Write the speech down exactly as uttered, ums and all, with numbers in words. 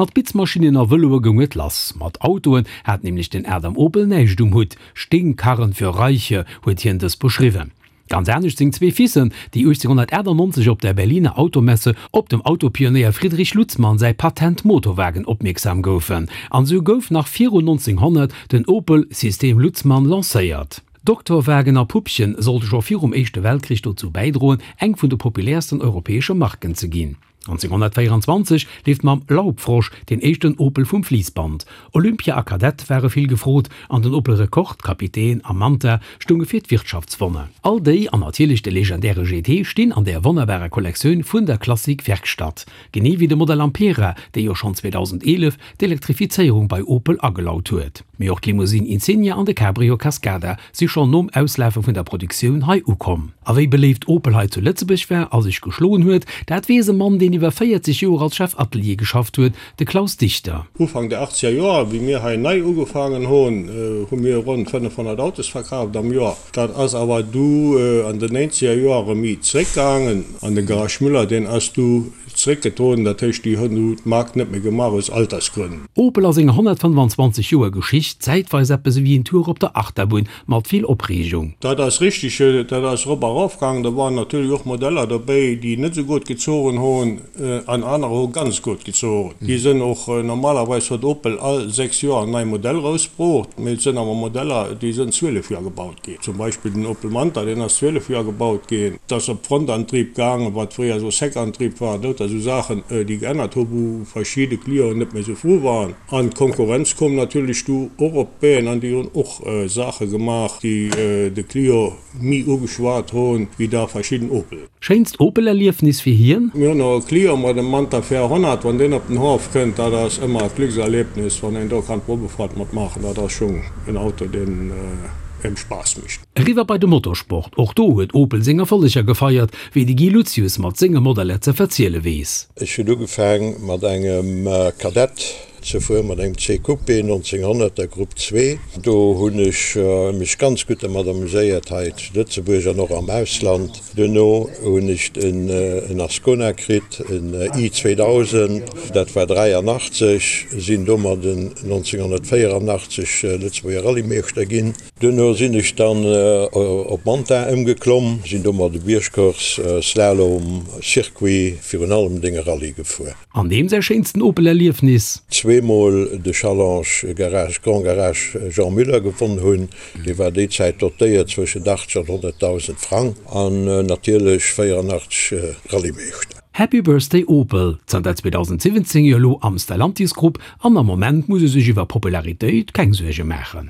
Mat Bitzmaschinnen a Vëloe goung et lass. Mat Autoen hat nämlech den Adam Opel näischt um Hutt. Stinkkarren für Reiche huet hien dës beschriwwen. Ganz anescht seng zwee Fissen, déi uechtzénghunnertachtannonzeg op der Berliner Automesse op dem Autopionéier Friedrich Lutzmann säi Patent-Motorwagen opmierksam goufen. An esou gouf nach virun neunzehnhonnert den Opel System Lutzmann lancéiert. Doktorwagen a Puppchen sollte scho virum Éischte Weltkrich dozou bäidroen, eng vun de populäersten europäesche Marken ze ginn. neunzehnhunnertvéierundzwanzeg leeft mam Laubfrosch deen éischten Opel vum Fliissband. Olympia a Kadett ware vill gefrot an den Opel Rekord, Kapitän a Manta stounge fir d'Wirtschaftswonner. All déi an natierlech de legendäre G T stinn an där wonnerbarer Kollektioun vun der Klassik Werkstatt. Genee wéi de Modell Ampera, dee jo schonn zweedausendeelef d'Elektrifizéierung bei Opel agelaut huet. Mee och d'Limousine Insignia an de Cabrio Cascada si schonn nom Auslafe vun der Produktioun hei ukomm. A wéi beléift Opel hei zu Lëtzebuerg war a sech geschloen huet, dat weess e Mann, deen iwwer véierzeg Joer als Chef Atelier geschafft huet, de Klaus Dichter. Ufank der achtzeger Joer, wéi mir hei nei ugefaangen hunn, hu mir ronn fënnefhonnert Autos verkaaft am Joer. Dat ass awer du an den néinzeger Joere méi zréckgaangen. An de Garage Müller, deen ass du zréckgetroden, dat heescht, déi hunn du d'Mark net méi gemaach aus Altersgrënn. Opel a senger honnertfënnfanzwanzeg Joer Geschicht zäitweis eppes ewéi en Tour op der Achterbunn mat vill Opreegung. Dat ass richteg, dat ass erop a erof gaangen. Do waren natierlech och Modeller dobäi, déi net esou gutt gezogen hunn, an anerer hu ganz gutt gezogen. Déi sënn och, normalerweis huet Opel all sechs Joer en nei Modell erausbruucht, mee et sënn awer Modeller, déi sënn zwielef Joer gebaut ginn. Zum Beispill den Opel Manta, deen ass zwielef Joer gebaut ginn. Et ass op Frontantrieb gaangen, wat fréier esou Seckantrieb war. Lauter esou Saachen, déi geännert hu wou verschidde Clienten net méi esou frou waren. An d'Konkurrenz koum natierlech du och op d'Been an déi hunn och Saache gemaach, déi de Client méi ugeschwat hunn, wéi da verschidden Opel. Schéinst Opel-Erliefnis fir hien? Mir hunn och e Client mat dem Manta véierhonnert, wann deen op den Haff kënnt, dat ass ëmmer e Glückserlebnis, wann een do kann d'Probefahrt mat maachen. Dat ass schonn en Auto, deen ëm Spaass mécht. Eriwwer bei de Motorsport, och do huet Opel seng Erfolleger gefeiert, wéi de Guy Luzius mat senge Modeller ze verziele weess. Ech hunn ugefaang mat engem Kadett ze fueren, mat engem C Coupé nonzénghonnert der Grupp zwee. Do hunn ech mech ganz gutt dermat amuséiert hei zu Lëtzebuerg an och am Ausland. Duerno hunn ech en Ascona kritt, en i zweedausend, dat war dräianachtzeg, sinn domadden nonzénghonnertvéierannachtzeg Lëtzebuerger Rallyemeeschter ginn. Duerno sinn ech dann op Manta ëmgeklomm, sinn domat de Biergcourse, Slalom, Circuit, virun allem denge Rallye gefuer. An deem säi schéinsten Opel-Erliefnis? Zweemol de Challenge Garage Grand Garage Jean Muller gewonn hunn, dee war déi Zäit dotéiert zwëschent achtzeg an honnertdausend Frang, an natierlech véierannachtzeg Rallyemeeschter. Happy Birthday Opel, zanter zweedausendsiwwenzéng jo elo am Stellantis Grupp, an am Moment muss e sech iwwer Popularitéit keng Suerge maachen.